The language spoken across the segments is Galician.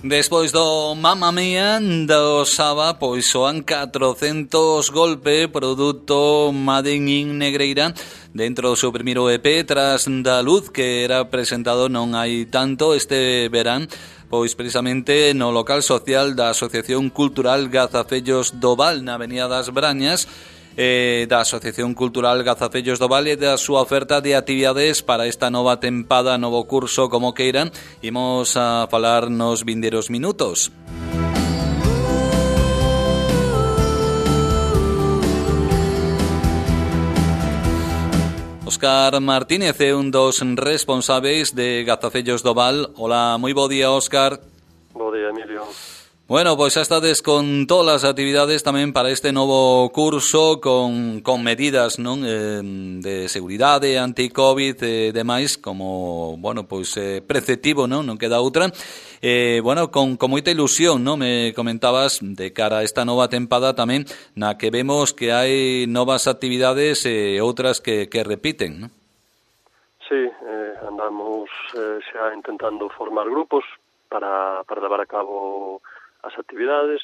Despois do Mamma Mía do Saba, pois soan 400 golpe, produto Made in Negreira, dentro do seu primeiro EP, Tras da Luz, que era presentado non hai tanto este verán, pois precisamente no local social da Asociación Cultural Gazafellos do Val, na Avenida das Brañas, da Asociación Cultural Gazafellos do Val e da súa oferta de actividades para esta nova tempada, novo curso, como queiran. Imos a falar nos vindeiros minutos. Óscar Martínez é un dos responsáveis de Gazafellos do Val. Hola, moi bo día, Óscar. Bo día, Emilio. Bueno, pois xa estades con todas as actividades tamén para este novo curso con medidas, non, de seguridade, anti-Covid e demais, como, bueno, pois preceptivo, non queda outra. Bueno, con moita ilusión, non, me comentabas de cara a esta nova tempada tamén, na que vemos que hai novas actividades e outras que repiten, non? Sí, andamos xa intentando formar grupos para levar a cabo as actividades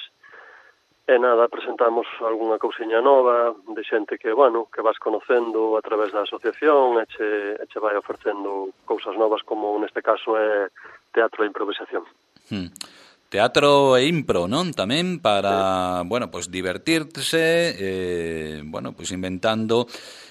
e nada, presentamos algunha cousiña nova de xente que, bueno, que vas conocendo a través da asociación e che vai ofercendo cousas novas, como neste caso é teatro e improvisación. Teatro e impro, non? Tamén para, bueno, pois divertirse, bueno, pois inventando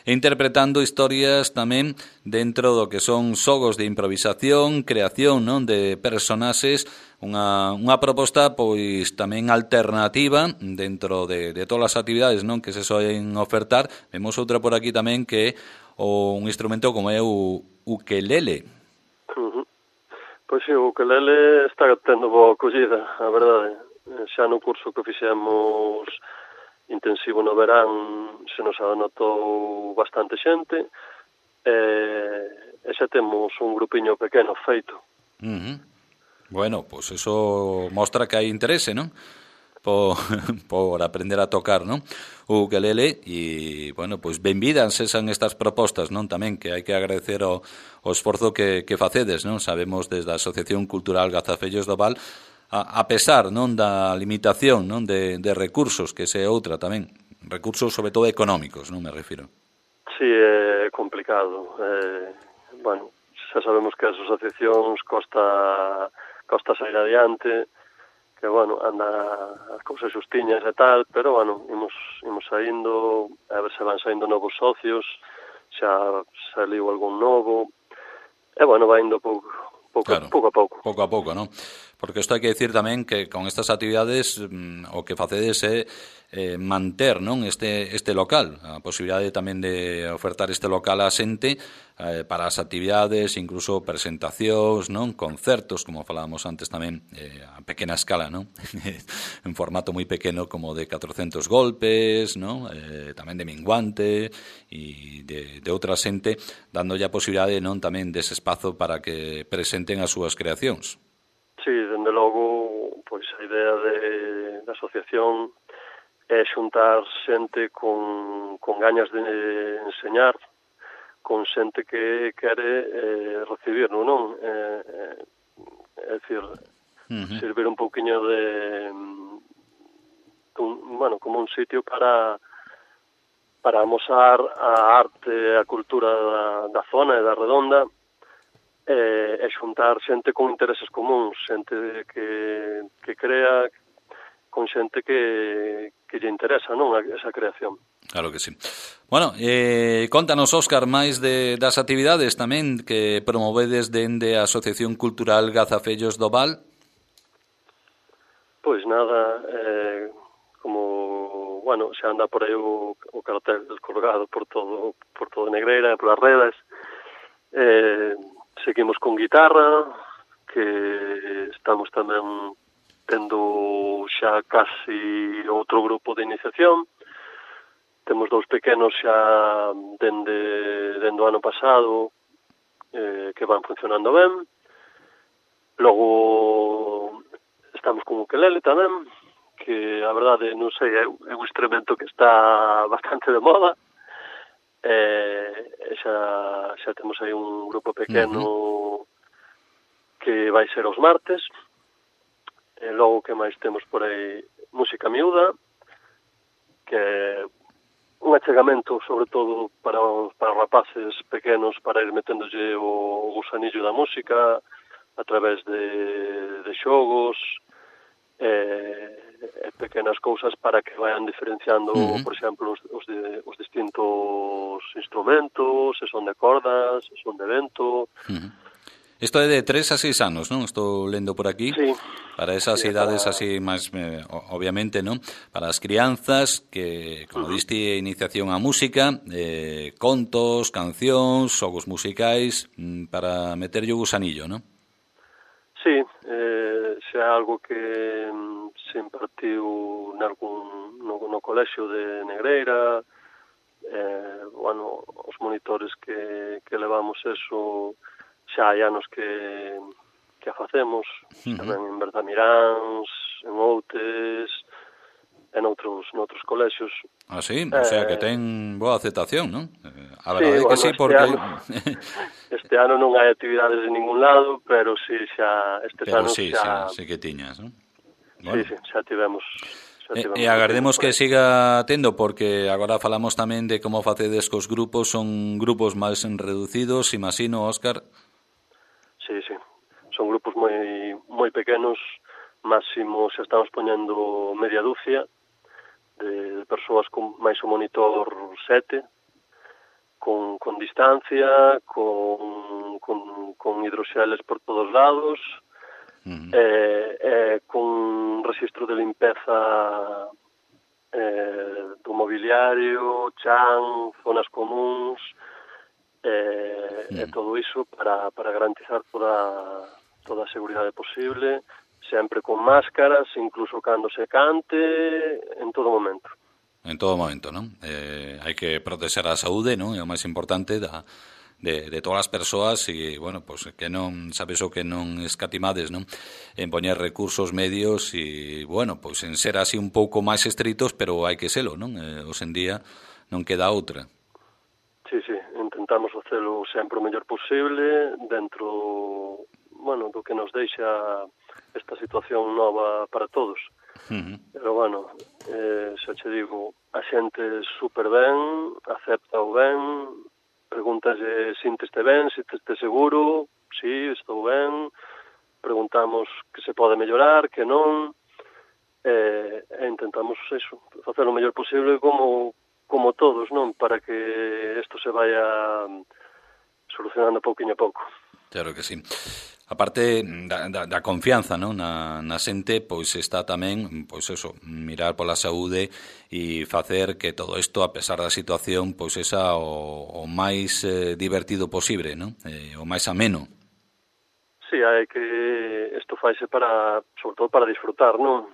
e interpretando historias tamén dentro do que son xogos de improvisación, creación, non, de personaxes, unha proposta pois tamén alternativa dentro de todas as actividades, non, que se soen ofertar. Vemos outra por aquí tamén que é un instrumento como é o ukelele. Pois sí, o ukelele está tendo boa acollida, a verdade. Xa no curso que fixemos intensivo no verán se nos anotou bastante xente e xa temos un grupiño pequeno feito. Bueno, pois eso mostra que hai interese, non? Por aprender a tocar, non? O ukelele e, bueno, pois benvidas sean estas propostas, non? Tamén que hai que agradecer o esforzo que facedes, non? Sabemos desde a Asociación Cultural Gazafellos do Val, a pesar, non, da limitación, non, de recursos, que se outra tamén, recursos sobre todo económicos, non me refiro. Sí, é complicado. Bueno, xa sabemos que as asociacións costa sair adiante, que, bueno, anda as cousas xustiñas e tal, pero, bueno, imos saindo, a ver se van saindo novos socios, xa saliu algún novo, e, bueno, vai indo pouco a pouco. Pouco a pouco, non? Porque isto hai que dicir tamén que con estas actividades o que facedes é manter, non, este local, a posibilidade tamén de ofertar este local a xente para as actividades, incluso presentacións, non, concertos, como falábamos antes tamén, a pequena escala, non? En formato moi pequeno, como de 400 golpes, non? Tamén de minguante e de outra xente, dándolle a posibilidade, non, tamén dese espazo para que presenten as súas creacións. Sí, dende logo, pois a idea da asociación é xuntar xente con gañas de enseñar, con xente que quere recibir, non? É dicir, servir un pouquiño bueno, como un sitio para amosar a arte e a cultura da zona e da redonda, e xuntar xente con intereses comuns, xente que crea, con xente que lle interesa, non, esa creación. Claro que sí. Bueno, contanos, Óscar, máis das actividades tamén que promovedes dende a Asociación Cultural Gazafellos do Val. Pois nada, como, bueno, xa anda por aí o cartel colgado por todo Negreira e polas redes. Seguimos con guitarra, que estamos tamén tendo xa casi outro grupo de iniciación. Temos 2 pequenos xa dende o ano pasado que van funcionando ben. Logo estamos con ukelele tamén, que a verdade, non sei, é un instrumento que está bastante de moda. Xa temos aí un grupo pequeno que vai ser os martes, E logo que máis temos por aí música miúda, que é un achegamento sobre todo para rapaces pequenos, para ir meténdolle o gusanillo da música a través de xogos e pequenas cousas para que vayan diferenciando, por exemplo, os distintos instrumentos, se son de cordas, se son de vento. Isto é de 3 a 6 anos, non? Estou lendo por aquí. Sí. Para esas idades así máis, obviamente, non? Para as crianzas que, como diste, iniciación á música, contos, cancións, xogos musicais, para meterlle o gusanillo, non? Sí, xa é algo que se impartiu no colexio de Negreira, bueno, os monitores que levamos eso xa hai anos que a facemos, tamén en Bertamiráns, en Outes, en noutros colexios. Ah, sí? O sea, que ten boa aceptación, non? A verdade sí, que sí, porque... Este ano non hai actividades de ningún lado, pero sí, xa estes pero anos sí, xa... sí que tiñas, non? Bueno. Sí, xa tivemos... E agardemos que siga tendo, porque agora falamos tamén de como facedes cos grupos, son grupos máis reducidos, imagino, Óscar. Sí, son grupos moi pequenos, máximo xa estamos poñendo media dúcia de persoas con máis o monitor 7, con distancia, con hidroxeles por todos lados, con registro de limpeza do mobiliario, chan, zonas comuns, e todo iso para garantizar toda a seguridade posible, sempre con máscaras, incluso cando se cante, en todo momento. En todo momento, non? Hai que proteger a saúde, non? É o máis importante de todas as persoas e, bueno, pues que non, sabes o que non escatimades, non? En poñer recursos medios e, bueno, pues en ser así un pouco máis estritos, pero hai que selo, non? Hoxe en día non queda outra. Sí, intentamos facelo sempre o mellor posible dentro, bueno, do que nos deixa esta situación nova para todos. Pero, bueno, xa che digo, a xente super ben, acepta o ben, pregúntalle sinteste ben, sinteste seguro, sí, estou ben, preguntamos que se pode mellorar, que non, e intentamos eso, facer o mellor posible como todos, non? Para que isto se vaya solucionando pouquinho a pouco. Claro que sí. A parte da confianza, non? Na xente, pois está tamén, pois eso, mirar pola saúde e facer que todo isto, a pesar da situación, pois esa o máis divertido posible, non? O máis ameno. Sí, hai que isto faise sobre todo para disfrutar, non?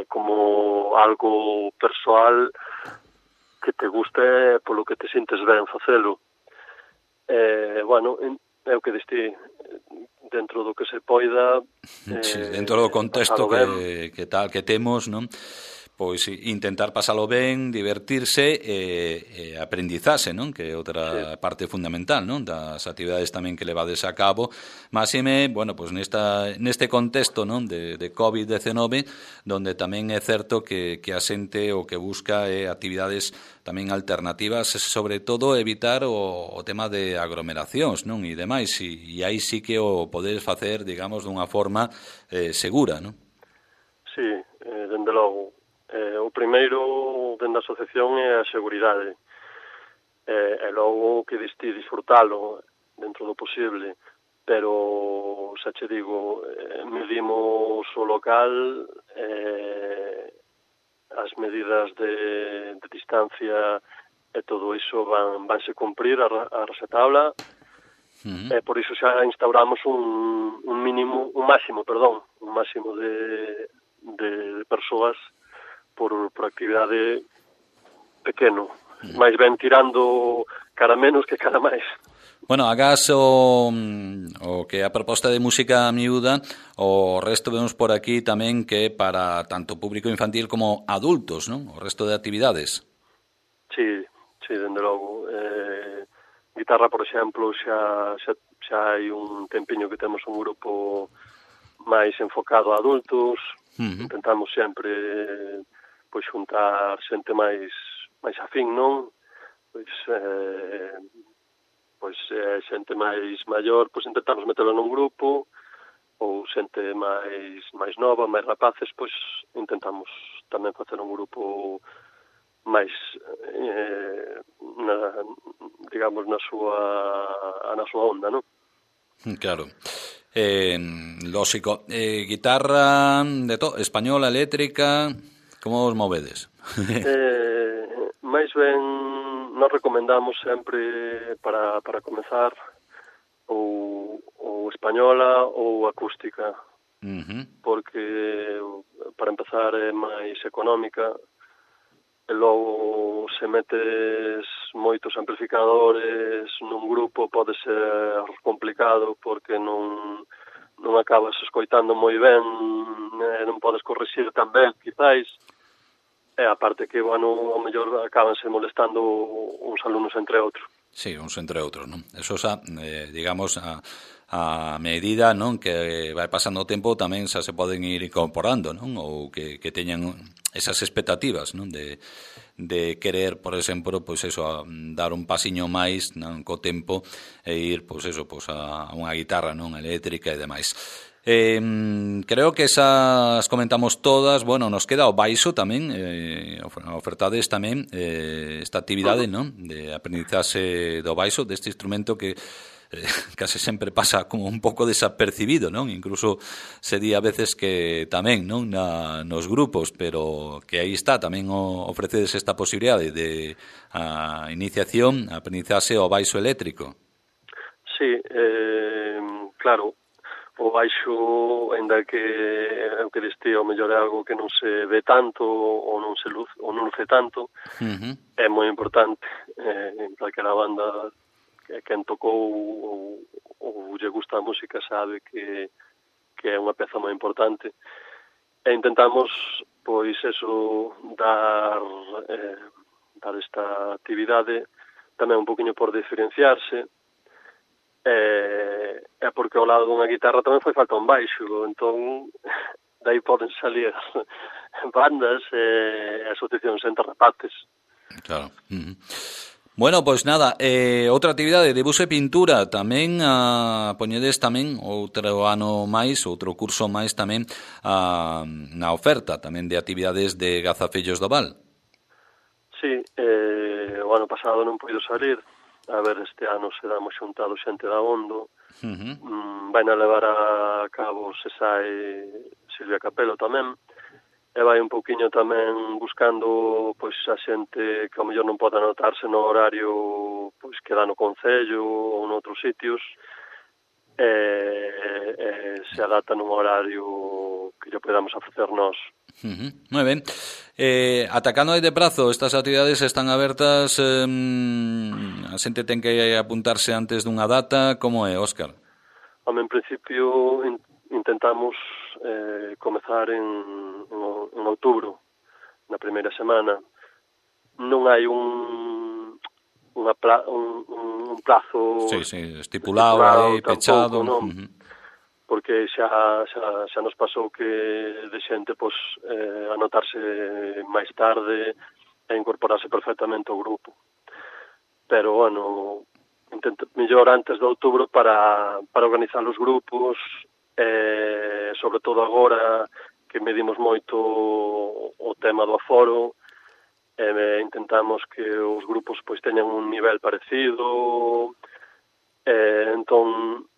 Como algo persoal que te guste, polo que te sintes ben facelo. Bueno, é o que diste, dentro do que se poida, sí, dentro do contexto que temos, non? Pois intentar pasalo ben, divertirse e aprendizaxe, non? Que é outra parte fundamental, non? Das actividades tamén que levades a cabo. Máxime, bueno, pois neste contexto, non? De COVID-19, donde tamén é certo que a xente o que busca é actividades tamén alternativas, sobre todo evitar o tema de aglomeracións, non? E demais, e aí sí que o podedes facer, digamos, dunha forma segura, non? Sí, dende logo. O primeiro dende a asociación é a seguridade, e logo que disfrutalo dentro do posible, pero xa che digo, medimos o local, as medidas de distancia e todo iso vanse cumprir a raxatabla, e por iso xa instauramos un máximo de persoas por actividade pequeno, máis ben tirando cara menos que cara máis. Bueno, agás o que a proposta de música miúda, o resto vemos por aquí tamén que é para tanto público infantil como adultos, non? O resto de actividades. Sí, dende logo. Guitarra, por exemplo, xa hai un tempiño que temos un grupo máis enfocado a adultos. Intentamos sempre pois xuntar xente máis afín, non? Pois xente máis maior, pois intentamos metelo nun grupo, ou xente máis nova, máis rapaces, pois intentamos tamén facer un grupo máis digamos na súa onda, non? Claro. Lógico. Guitarra de todo, española, eléctrica, como os movedes? Máis ben nos recomendamos sempre para comezar ou española ou acústica, porque para empezar é máis económica, e logo se metes moitos amplificadores nun grupo pode ser complicado porque non acabas escoitando moi ben, non podes corrixir tan ben, quizáis, e aparte que, bueno, ao mellor acabanse molestando uns alumnos entre outros. Sí, uns entre outros, non? Eso xa, digamos, a medida, non, que vai pasando o tempo tamén xa se poden ir incorporando, non? Ou que teñan esas expectativas, non? De querer, por exemplo, pois eso, dar un pasiño máis, non, co tempo e ir, pois eso, pois a unha guitarra, non, eléctrica e demais. Creo que esas comentamos todas. Bueno, nos queda o baixo tamén, ofertades tamén esta actividade, non, de aprendizaxe do baixo, deste instrumento que case sempre pasa como un pouco desapercibido, non? Incluso se di a veces que tamén, non, nos grupos, pero que aí está, tamén ofrecedes esta posibilidade de a iniciación, a aprendizaxe ao baixo eléctrico. Sí, claro. O baixo, ainda que o que diste ao mellor é algo que non se ve tanto ou non luce tanto, é moi importante en calquera banda que quen tocou ou lle gusta a música sabe que é unha peza moi importante. E intentamos, pois, eso, dar esta actividade tamén un poquinho por diferenciarse, é porque ao lado dunha guitarra tamén fai falta un baixo, entón dai poden salir bandas e asociacións entre rapaces. Claro. Bueno, pois nada, outra actividade, debuxo e pintura, tamén poñedes tamén outro ano máis, outro curso máis tamén na oferta tamén de actividades de Gazafellos do Val. Sí, o ano pasado non puido salir. A ver, este ano se damos xuntado xente da Ondo. Vai na levar a cabo, se sai, Silvia Capelo tamén. E vai un pouquiño tamén buscando pois a xente que ao mellor non pode anotarse no horario pois que dá no concello ou noutros sitios. Se adapta nun horario que lle podamos ofrecer nós. Moi ben. Atacando de prazo, estas actividades están abertas, a xente ten que apuntarse antes dunha data, como é, Óscar? En principio intentamos comezar en outubro, na primeira semana. Non hai un plazo estipulado aí, pechado, non? Porque xa nos pasou que de xente pois anotarse máis tarde e incorporarse perfectamente ao grupo. Pero, bueno, intento mellor antes de outubro para organizar os grupos, sobre todo agora que medimos moito o tema do aforo, intentamos que os grupos pois teñan un nivel parecido, entón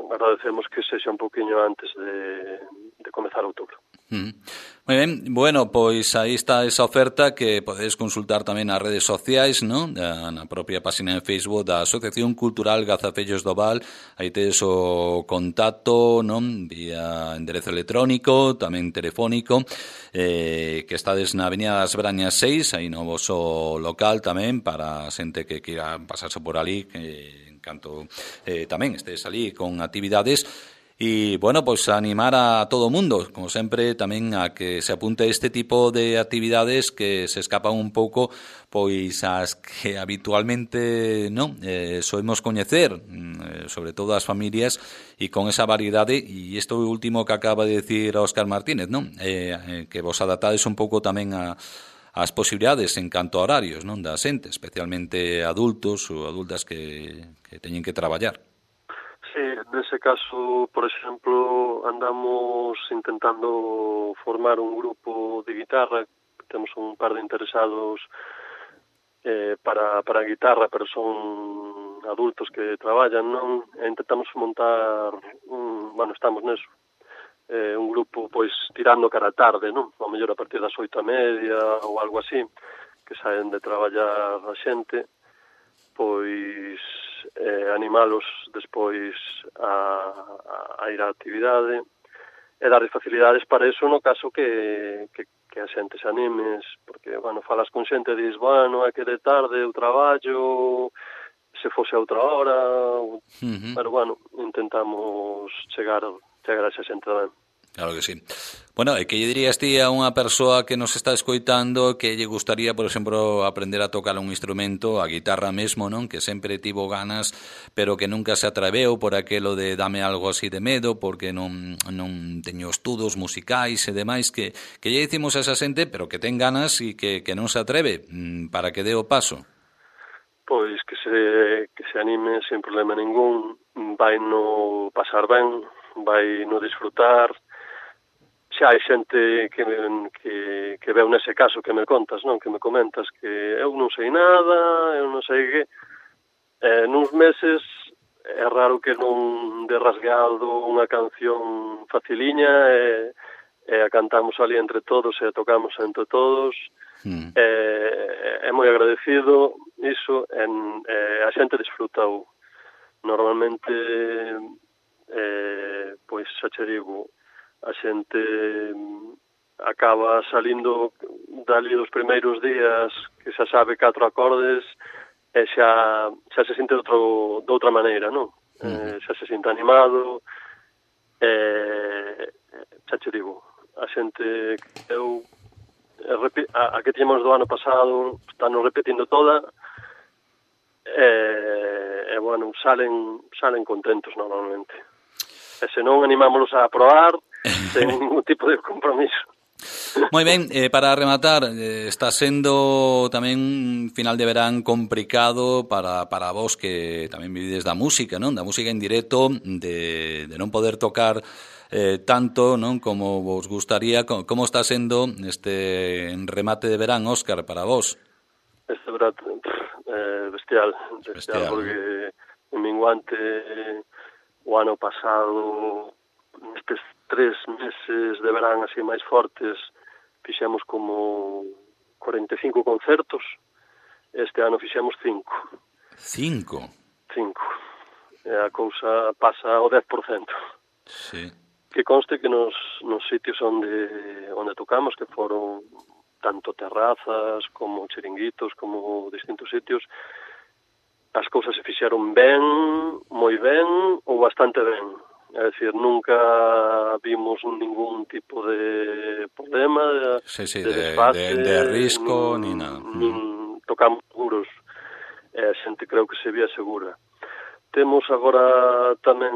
agradecemos que sexa un poquinho antes de comezar outubro. Moi ben, bueno, pois aí está esa oferta que podedes consultar tamén nas redes sociais, non? Na propia página de Facebook da Asociación Cultural Gazafellos do Val. Aí tedes o contacto, non? Vía enderezo electrónico, tamén telefónico, que estades na Avenida das Brañas 6, aí no voso local tamén, para a xente que queira pasarse por ali, que en canto tamén estes ali con actividades. E, bueno, pois animar a todo o mundo, como sempre, tamén a que se apunte a este tipo de actividades que se escapan un pouco pois as que habitualmente non soemos coñecer, sobre todo as familias, e con esa variedade, e isto último que acaba de decir Óscar Martínez, non? Que vos adaptades un pouco tamén as posibilidades en canto a horarios, non, da xente, especialmente adultos ou adultas que teñen que traballar. Sí, nese caso, por exemplo, andamos intentando formar un grupo de guitarra. Temos un par de interesados para a guitarra, pero son adultos que traballan, non? E intentamos montar estamos neso. Un grupo, pois, tirando cara a tarde, non? Ao mellor a partir das 8:30 ou algo así, que saen de traballar a xente, pois animalos despois a ir á actividade e darles facilidades para eso no caso que a xente se animes, porque, bueno, falas con xente e dis, bueno, é que de tarde eu traballo, se fose a outra hora, pero, bueno, intentamos chegar a esa xente tamén. Claro que sí. Bueno, e que lle dirías ti a unha persoa que nos está escoitando que lle gustaría, por exemplo, aprender a tocar un instrumento, a guitarra mesmo, non? Que sempre tivo ganas, pero que nunca se atreveu por aquelo de dame algo así de medo, porque non teño estudos musicais e demais, que lle dicimos a esa xente, pero que ten ganas e que non se atreve, para que dé o paso? Pois que se anime sen problema ningún, vai no pasar ben, vai no disfrutar. Xa hai xente que veu nese caso que me contas, non? Que me comentas que eu non sei nada, eu non sei que... nuns meses é raro que non de rasgado unha canción faciliña e a cantamos ali entre todos e a tocamos entre todos. É moi agradecido iso, a xente disfrutau. Normalmente, pois, xa che digo, a xente acaba salindo dali dos primeiros días que xa sabe 4 acordes e xa se sinte de outra maneira, non? Xa se sinte animado xa che digo, a xente que eu a que tínhamos do ano pasado están repetindo toda e bueno, salen contentos normalmente. E se non, animámonos a probar sen ningún tipo de compromiso. Moi ben, para rematar, está sendo tamén un final de verán complicado para vos que tamén vivides da música, non? Da música en directo, de non poder tocar tanto, non, como vos gustaría. Como está sendo este remate de verán, Óscar, para vos? Este verán bestial, porque en minguante o ano pasado, nestes 3 meses de verán así máis fortes, fixemos como 45 concertos. Este ano fixemos 5. 5? 5. E a cousa pasa ao 10%. Sí. Que conste que nos sitios onde tocamos, que foron tanto terrazas como chiringuitos, como distintos sitios, as cousas se fixeron ben, moi ben ou bastante ben. É dicir, nunca vimos ningún tipo de problema, de desfase, de risco, ni nada. Tocamos seguros, e a xente creo que se vía segura. Temos agora tamén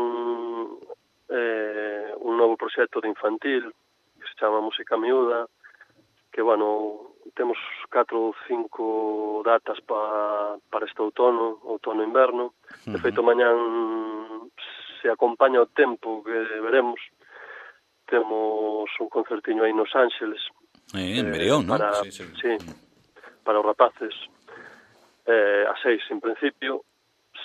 un novo proxecto de infantil que se chama Música Miúda, que, bueno, temos 4 ou 5 datas para este outono-inverno. De feito, mañán, se acompaña o tempo que veremos, temos un concertiño aí nos Ángeles. En Brión, non? Sí, para os rapaces. A 6, en principio,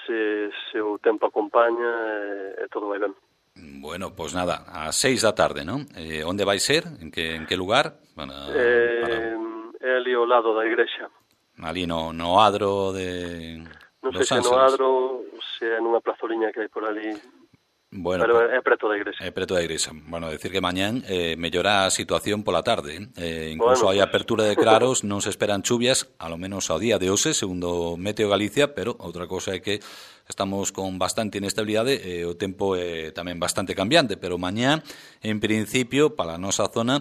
se o tempo acompaña e todo vai ben. Bueno, pois nada, a 6 da tarde, non? Onde vai ser? En que lugar? É ali ao lado da igrexa. Ali no adro de Non Los sei se Ángeles. no adro, se é nunha plazoliña que hai por ali. Bueno, pero é preto da igrexa. É preto da igrexa. Bueno, decir que mañán mellora a situación pola tarde. Incluso hai apertura de claros, non se esperan chuvias, a lo menos ao día de hoxe, segundo Meteo Galicia, pero outra cosa é que estamos con bastante inestabilidade e o tempo é tamén bastante cambiante, pero mañá, en principio, para a nosa zona,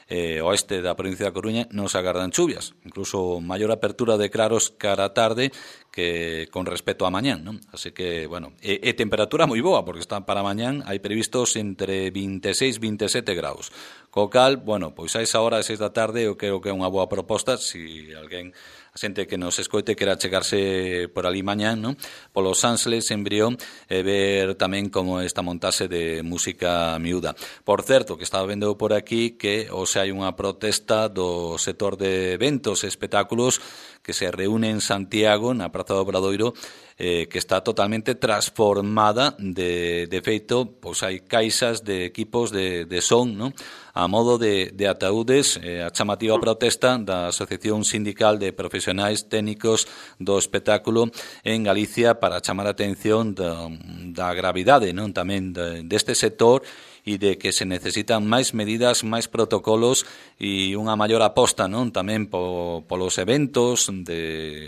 oeste da provincia da Coruña non se agardan chuvias, incluso maior apertura de claros cara a tarde que con respecto a mañán, non? Así que, bueno, e temperatura moi boa, porque está para mañán, hai previstos entre 26 e 27 graus. Co cal, bueno, pois a esa hora, a 6 da tarde, eu creo que é unha boa proposta, se alguén, a xente que nos escoite quera chegarse por ali mañán, non? Polos Ángeles en Brión e ver tamén como esta montase de música miúda. Por certo, que estaba vendo por aquí que hoxe hai unha protesta do sector de eventos e espectáculos que se reúne en Santiago, na Praza do Obradoiro, que está totalmente transformada. De feito, pois hai caixas de equipos de son, non? A modo de ataúdes, a chamativa protesta da Asociación Sindical de Profesionais Técnicos do Espectáculo en Galicia para chamar a atención da gravidade, non? Tamén deste sector e de que se necesitan máis medidas, máis protocolos e unha maior aposta, non? Tamén polos eventos,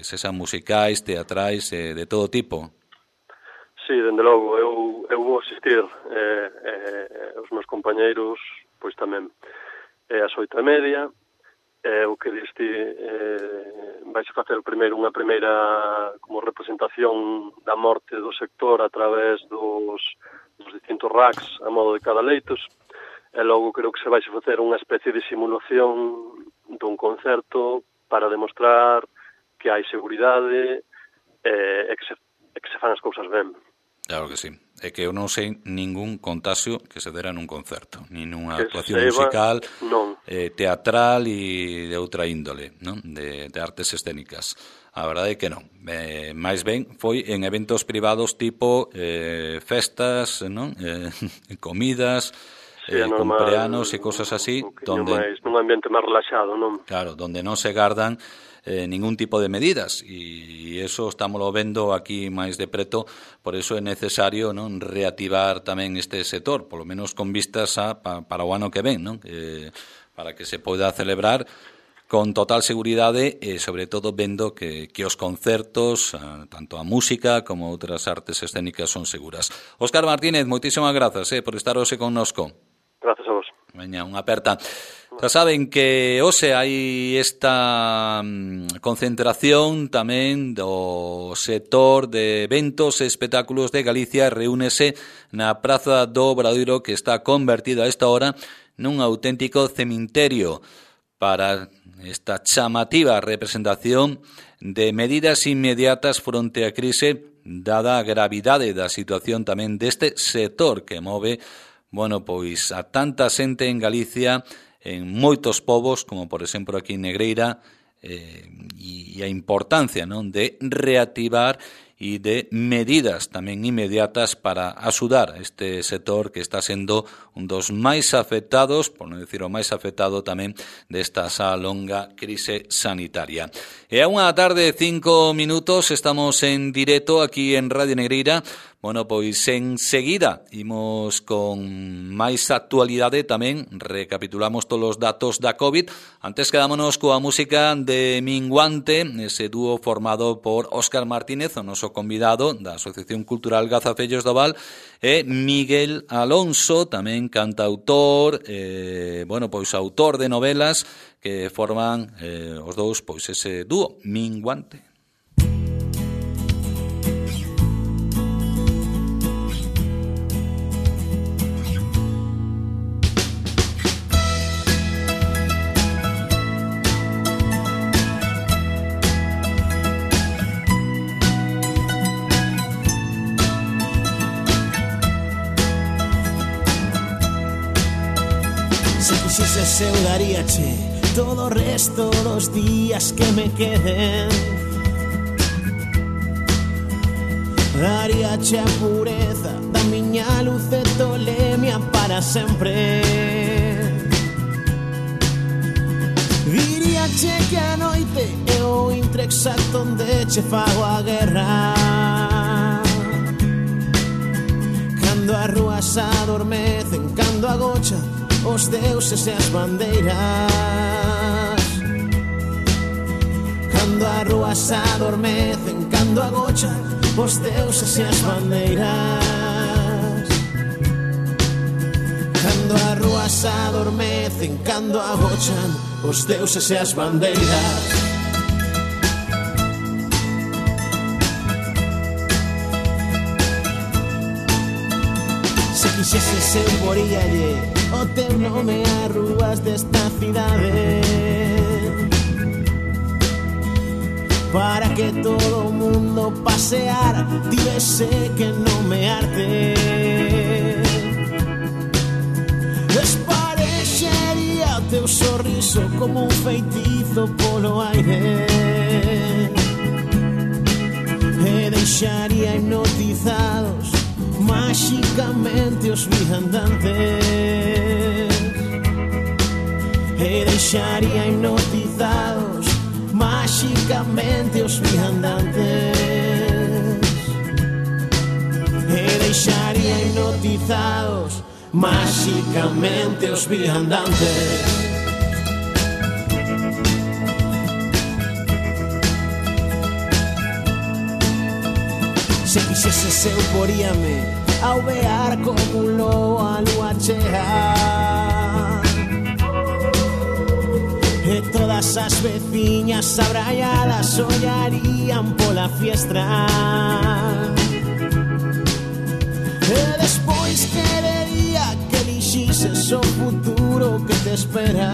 sexan musicais, teatrais, de todo tipo. Sí, dende logo, eu vou asistir, os meus compañeiros, pois tamén, ás 8:30, o que diste, vais a facer primeiro unha primeira como representación da morte do sector a través dos distintos racks a modo de cada leitos, e logo creo que se vai a facer unha especie de simulación dun concerto para demostrar que hai seguridade e que se fan as cousas ben. Claro que sí. É que eu non sei ningún contagio que se dera nun concerto, nin nunha actuación musical, teatral e de outra índole, non? De artes escénicas. A verdade é que non. Máis ben foi en eventos privados tipo festas, non? Comidas, cumpleanos e cosas así, donde nun ambiente máis relaxado, non? Claro, donde non se gardan ningún tipo de medidas, e eso estámoslo vendo aquí máis de preto. Por eso é necesario, non, reactivar tamén este sector, polo menos con vistas para o ano que ven, non? Para que se poida celebrar con total seguridade e, sobre todo, vendo que os concertos, tanto a música como outras artes escénicas, son seguras. Óscar Martínez, moitísimas grazas por estar hoxe connosco. Grazas a vos. Veña, unha aperta. Xa saben que hoxe hai esta concentración tamén do sector de eventos e espectáculos de Galicia. Reúnese na Praza do Obradoiro, que está convertida a esta hora nun auténtico cemiterio, para esta chamativa representación de medidas inmediatas fronte á crise, dada a gravidade da situación tamén deste sector que move, bueno, pois a tanta xente en Galicia, en moitos povos, como por exemplo aquí en Negreira, e a importancia, non, de reactivar e de medidas tamén inmediatas para axudar a este sector que está sendo un dos máis afectados, por non dicir o máis afectado tamén desta xa longa crise sanitaria. E a unha tarde de 5 minutos estamos en directo aquí en Radio Negreira. Bueno, pois enseguida imos con máis actualidade tamén, recapitulamos todos os datos da COVID. Antes quedámonos coa música de Minguante, ese dúo formado por Óscar Martínez, o noso convidado da Asociación Cultural Gazafellos do Val, e Miguel Alonso, tamén cantautor, bueno, pois autor de novelas, que forman os dous, pois ese dúo, Minguante. Eu daríache todo o resto dos días que me queden, daríache a pureza da miña luz e tolemia para sempre. Diríache que a noite é o intre exacto onde che fago a guerra, cando as rúas adormecen, cando agochan os deuses e as bandeiras. Cando as rúas adormecen, cando agochan os deuses e as bandeiras. Cando as rúas adormecen, cando agochan os deuses e as bandeiras. Se quixeses eu poríalle o teu nome ás rúas desta cidade, para que todo o mundo paseara, tivese que nomearte. Desparexería o teu sorriso como un feitizo polo aire, e deixaría hipnotizados máxicamente os viandantes, e deixaría hipnotizados máxicamente os viandantes, e deixaría hipnotizados máxicamente os viandantes. Se quixeses eu poríame alvear como un lobo a lúa chea, e todas as veciñas abraiadas ollarían pola fiestra, e despois querería que elixises o futuro que te espera,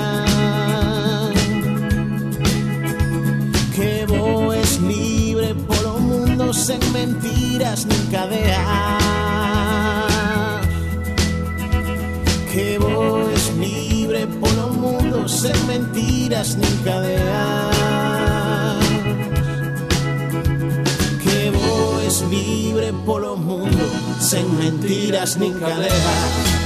que voes libre polo mundo sen mentiras nin cadeas, que voes libre polo mundo sen mentiras nin cadeas, que voes libre polo mundo sen mentiras nin cadeas.